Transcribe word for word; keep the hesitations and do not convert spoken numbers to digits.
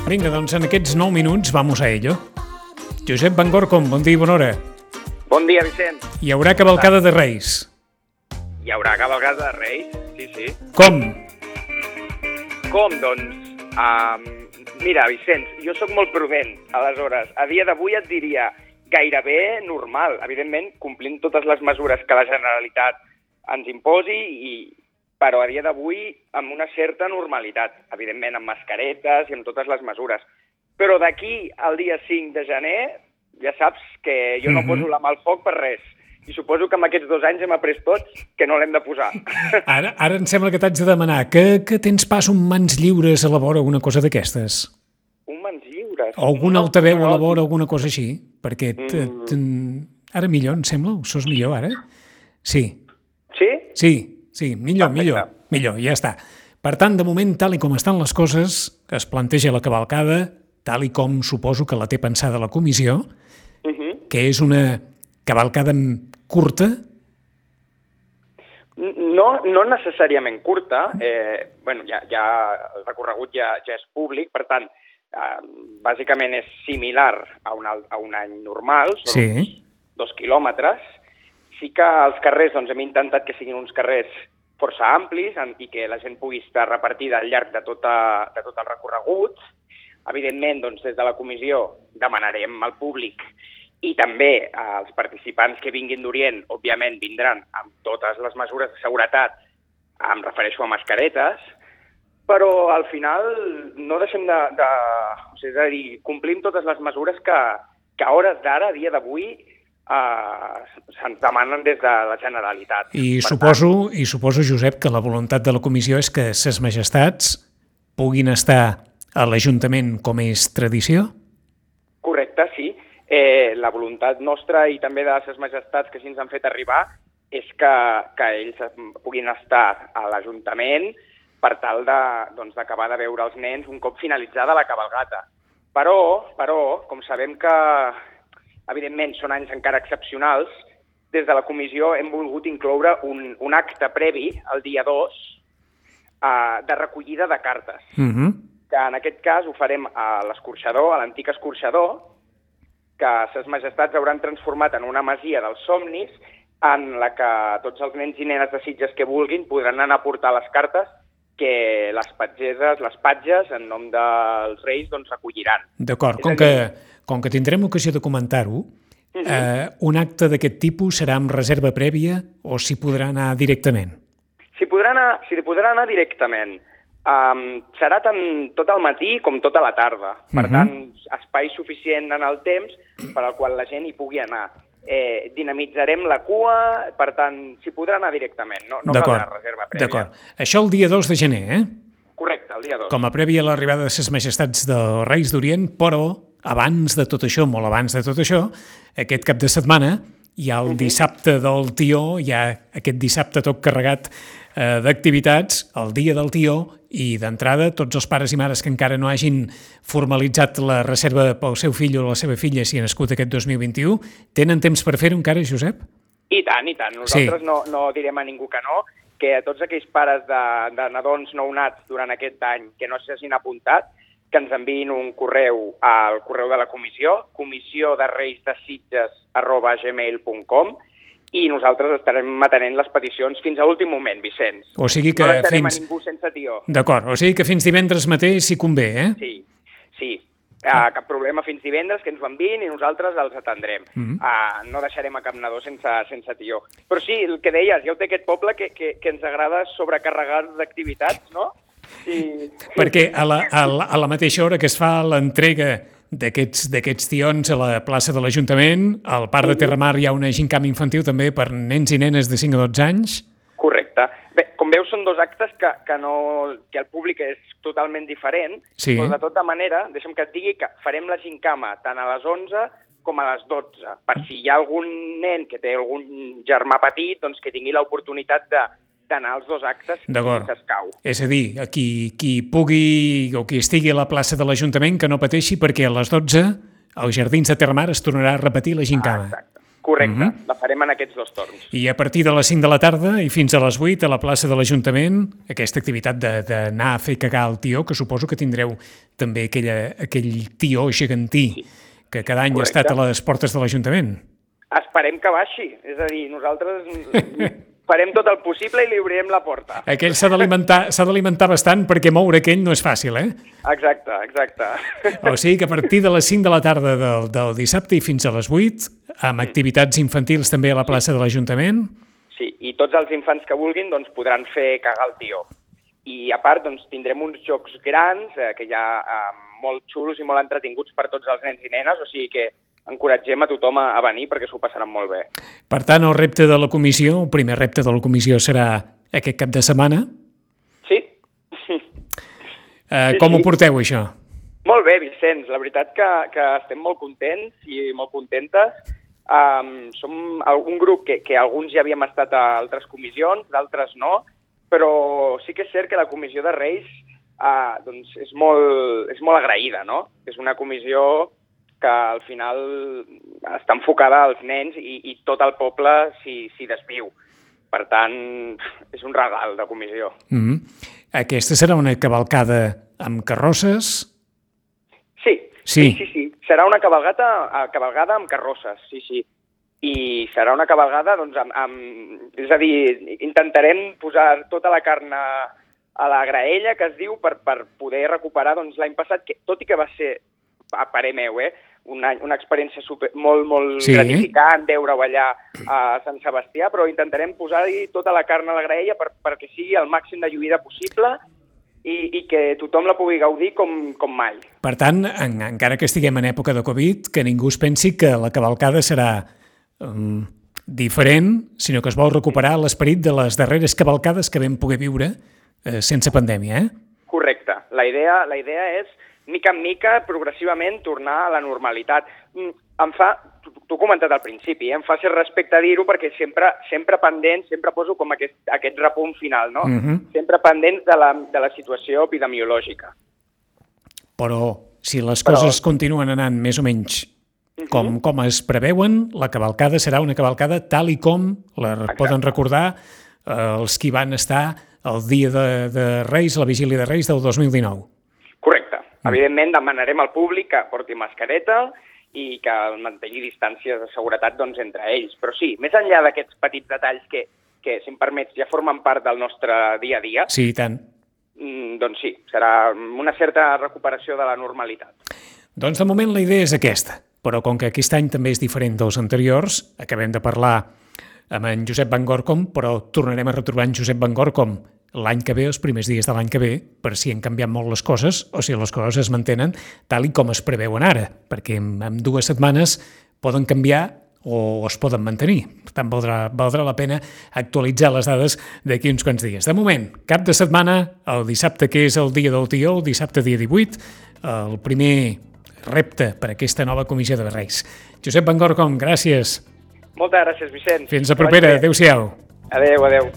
Vinga, doncs en aquests nou minuts vamos a ello. Josep Van Gorcom, bon dia i bona hora. Bon dia, Vicent. Hi haurà cavalcada de Reis. Hi haurà cavalcada de Reis, sí, sí. Com? Com, doncs? Um, mira, Vicent, jo sóc molt prudent, aleshores, a dia d'avui et diria gairebé normal, evidentment, complint totes les mesures que la Generalitat ens imposi, i, però a dia d'avui amb una certa normalitat, evidentment amb mascaretes i amb totes les mesures. Però d'aquí al dia cinc de gener, ja saps que jo no Mhm. poso la mà al foc per res. I suposo que en aquests dos anys hem après tots que no l'hem de posar. Ara, ara em sembla que t'haig de demanar que, que tens pas un mans lliures a la vora, alguna cosa d'aquestes. Un mans lliures. O algun No, altaveu a la no. vora, alguna cosa així. Perquè t, t, ara millor, em sembla? Ho sos millor, ara? Sí, Sí? sí, sí, millor, Perfecte. millor, millor, ja està. Per tant, de moment, tal i com estan les coses, es planteja la cavalcada, tal i com suposo que la té pensada la comissió, Uh -huh. que és una cavalcada curta. No, no necessàriament curta, eh, bueno, ja, ja, el recorregut ja, ja és públic, per tant, eh, bàsicament és similar a un, al- a un any normal, són Sí. uns dos quilòmetres. Sí que els carrers doncs, hem intentat que siguin uns carrers força amplis en, i que la gent pugui estar repartida al llarg de, tota, de tot el recorregut. Evidentment, doncs, des de la comissió demanarem al públic i també als participants que vinguin d'Orient, òbviament vindran amb totes les mesures de seguretat, em refereixo a mascaretes, però al final no deixem de... de o sigui, és a dir, complim totes les mesures que, que a hores d'ara, a dia d'avui, eh, se'ns demanen des de la Generalitat. I Per suposo, I suposo, Josep, que la voluntat de la comissió és que ses majestats puguin estar a l'Ajuntament com és tradició? Correcte, sí. Eh, la voluntat nostra i també de les majestats que així ens han fet arribar és que, que ells puguin estar a l'Ajuntament per tal de, doncs, d'acabar de veure els nens un cop finalitzada la cabalgata. Però, però, com sabem que, evidentment, són anys encara excepcionals, des de la comissió hem volgut incloure un, un acte previ, el dia dos, eh, de recollida de cartes. Uh -huh. Que en aquest cas ho farem a l'escorxador, a l'antic escorxador, que ses majestats hauran transformat en una masia dels somnis en la que tots els nens i nenes de Sitges que vulguin podran anar a portar les cartes que les patgeses, les patges, en nom dels Reis, doncs recolliran. D'acord, És com a que, dir- com que tindrem ocasió de comentar-ho, eh, un acte d'aquest tipus serà amb reserva prèvia o s'hi podrà anar directament? Si podrà anar, si podrà anar directament, um, serà tant tot el matí com tota la tarda. Per Mhm. tant, espai suficient en el temps per al qual la gent hi pugui anar. Eh, dinamitzarem la cua, per tant, s'hi podrà anar directament, no, no caldrà reserva prèvia. D'acord. Això el dia dos de gener, eh? Correcte, el dia dos. Com a prèvia a l'arribada de ses majestats dels Reis d'Orient, però abans de tot això, molt abans de tot això, aquest cap de setmana hi ha el dissabte del Tió, hi ha aquest dissabte tot carregat eh, d'activitats, el dia del Tió, i d'entrada tots els pares i mares que encara no hagin formalitzat la reserva pel seu fill o la seva filla si ha nascut aquest dos mil vint-i-u, tenen temps per fer-ho encara, Josep? I tant, i tant. Nosaltres Sí. no, no direm a ningú que no, que a tots aquells pares de, de nadons nounats durant aquest any que no s'hagin apuntat, que ens enviïn un correu al correu de la comissió, comissió de reis de Sitges arroba gmail punt com, i nosaltres estarem atenent les peticions fins a l'últim moment, Vicenç. O sigui que no deixarem fins... a ningú sense tió. D'acord, o sigui que fins divendres mateix si convé, eh? Sí, sí. Uh, cap problema fins divendres, que ens ho enviïn i nosaltres els atendrem. Mhm. Uh, no deixarem a cap nadó sense, sense tió. Però sí, el que deies, ja ho té aquest poble que, que, que ens agrada sobrecarregar d'activitats, no? I... Perquè a la, a, la, a la mateixa hora que es fa l'entrega d'aquests d'aquests tions a la plaça de l'Ajuntament, al Parc de Terramar hi ha una gincama infantil també per nens i nenes de cinc a dotze anys. Correcte. Bé, com veus, són dos actes que, que, no, que el públic és totalment diferent, Sí. però de tota manera, deixa'm que et digui que farem la gincama tant a les onze com a les dotze, per si hi ha algun nen que té algun germà petit, doncs que tingui l'oportunitat de d'anar als dos actes D'acord. si s'escau. És a dir, a qui, qui pugui o qui estigui a la plaça de l'Ajuntament que no pateixi perquè a les dotze als Jardins de Terramar es tornarà a repetir la gincama. Ah, exacte. Correcte, mm-hmm. la farem en aquests dos torns. I a partir de les cinc de la tarda i fins a les vuit a la plaça de l'Ajuntament, aquesta activitat d'anar a fer cagar el tió, que suposo que tindreu també aquella, aquell tió gegantí sí. que cada any Correcte. Ha estat a les portes de l'Ajuntament. Esperem que baixi, és a dir, nosaltres farem tot el possible i li obrirem la porta. Aquell s'ha d'alimentar s'ha d'alimentar bastant perquè moure aquell no és fàcil, eh? Exacte, exacte. O sigui que a partir de les cinc de la tarda del, del dissabte i fins a les vuit, amb activitats infantils també a la plaça de l'Ajuntament. Sí, i tots els infants que vulguin doncs, podran fer cagar el tió. I a part doncs, tindrem uns jocs grans, eh, que ja eh, molt xulos i molt entretinguts per tots els nens i nenes, o sigui que encoratgem a tothom a venir perquè s'ho passaran molt bé. Per tant, el repte de la comissió, el primer repte de la comissió serà aquest cap de setmana? Sí. Uh, sí com sí. ho porteu, això? Molt bé, Vicenç. La veritat que, que estem molt contents i molt contentes. Um, som un grup que, que alguns ja havíem estat a altres comissions, d'altres no, però sí que és cert que la comissió de Reis uh, doncs és, molt, és molt agraïda, no? És una comissió que al final està enfocada als nens i, i tot el poble s'hi desviu. Per tant, és un regal de comissió. Mm-hmm. Aquesta serà una cavalcada amb carrosses? Sí, sí, sí, sí. sí. Serà una cavalgata, cavalgada amb carrosses, sí, sí. I serà una cavalgada, doncs, amb, amb... És a dir, intentarem posar tota la carn a, a la graella, que es diu, per, per poder recuperar doncs, l'any passat, que tot i que va ser, a parer meu, eh, una, una experiència super, molt, molt sí. gratificant veure-ho allà a Sant Sebastià, però intentarem posar-hi tota la carn a la graella per, perquè sigui el màxim de lluïda possible i, i que tothom la pugui gaudir com, com mai. Per tant, en, encara que estiguem en època de Covid, que ningú es pensi que la cavalcada serà um, diferent, sinó que es vol recuperar l'esperit de les darreres cavalcades que vam poder viure eh, sense pandèmia, eh? Correcte. La idea, la idea és mica en mica, progressivament, tornar a la normalitat. Em fa, t'ho he comentat al principi, eh? em fa cert respecte a dir-ho perquè sempre, sempre pendent, sempre poso com aquest, aquest repunt final, no? Uh-huh. Sempre pendent de la, de la situació epidemiològica. Però si les coses Però... continuen anant més o menys uh-huh. com, com es preveuen, la cavalcada serà una cavalcada tal i com la Exacte. Poden recordar eh, els qui van estar el dia de, de Reis, la vigília de Reis del dos mil dinou. Correcte. Evidentment, demanarem al públic que porti mascareta i que mantingui distàncies de seguretat doncs, entre ells. Però sí, més enllà d'aquests petits detalls que, que, si em permets, ja formen part del nostre dia a dia, sí, i tant. Doncs sí, serà una certa recuperació de la normalitat. Doncs de moment la idea és aquesta, però com que aquest any també és diferent dels anteriors, acabem de parlar amb en Josep Van Gorcom, però tornarem a retrobar en Josep Van Gorcom l'any que ve, els primers dies de l'any que ve, per si han canviat molt les coses o si les coses es mantenen tal i com es preveuen ara, perquè en, en dues setmanes poden canviar o es poden mantenir. Per tant, valdrà, valdrà la pena actualitzar les dades d'aquí uns quants dies. De moment, cap de setmana, el dissabte que és el dia del tió, el dissabte dia divuit, el primer repte per a aquesta nova comissió de Reis. Josep Van Gorcom, gràcies. Moltes gràcies, Vicent. Fins a propera. Adéu-siau. Adéu, adéu.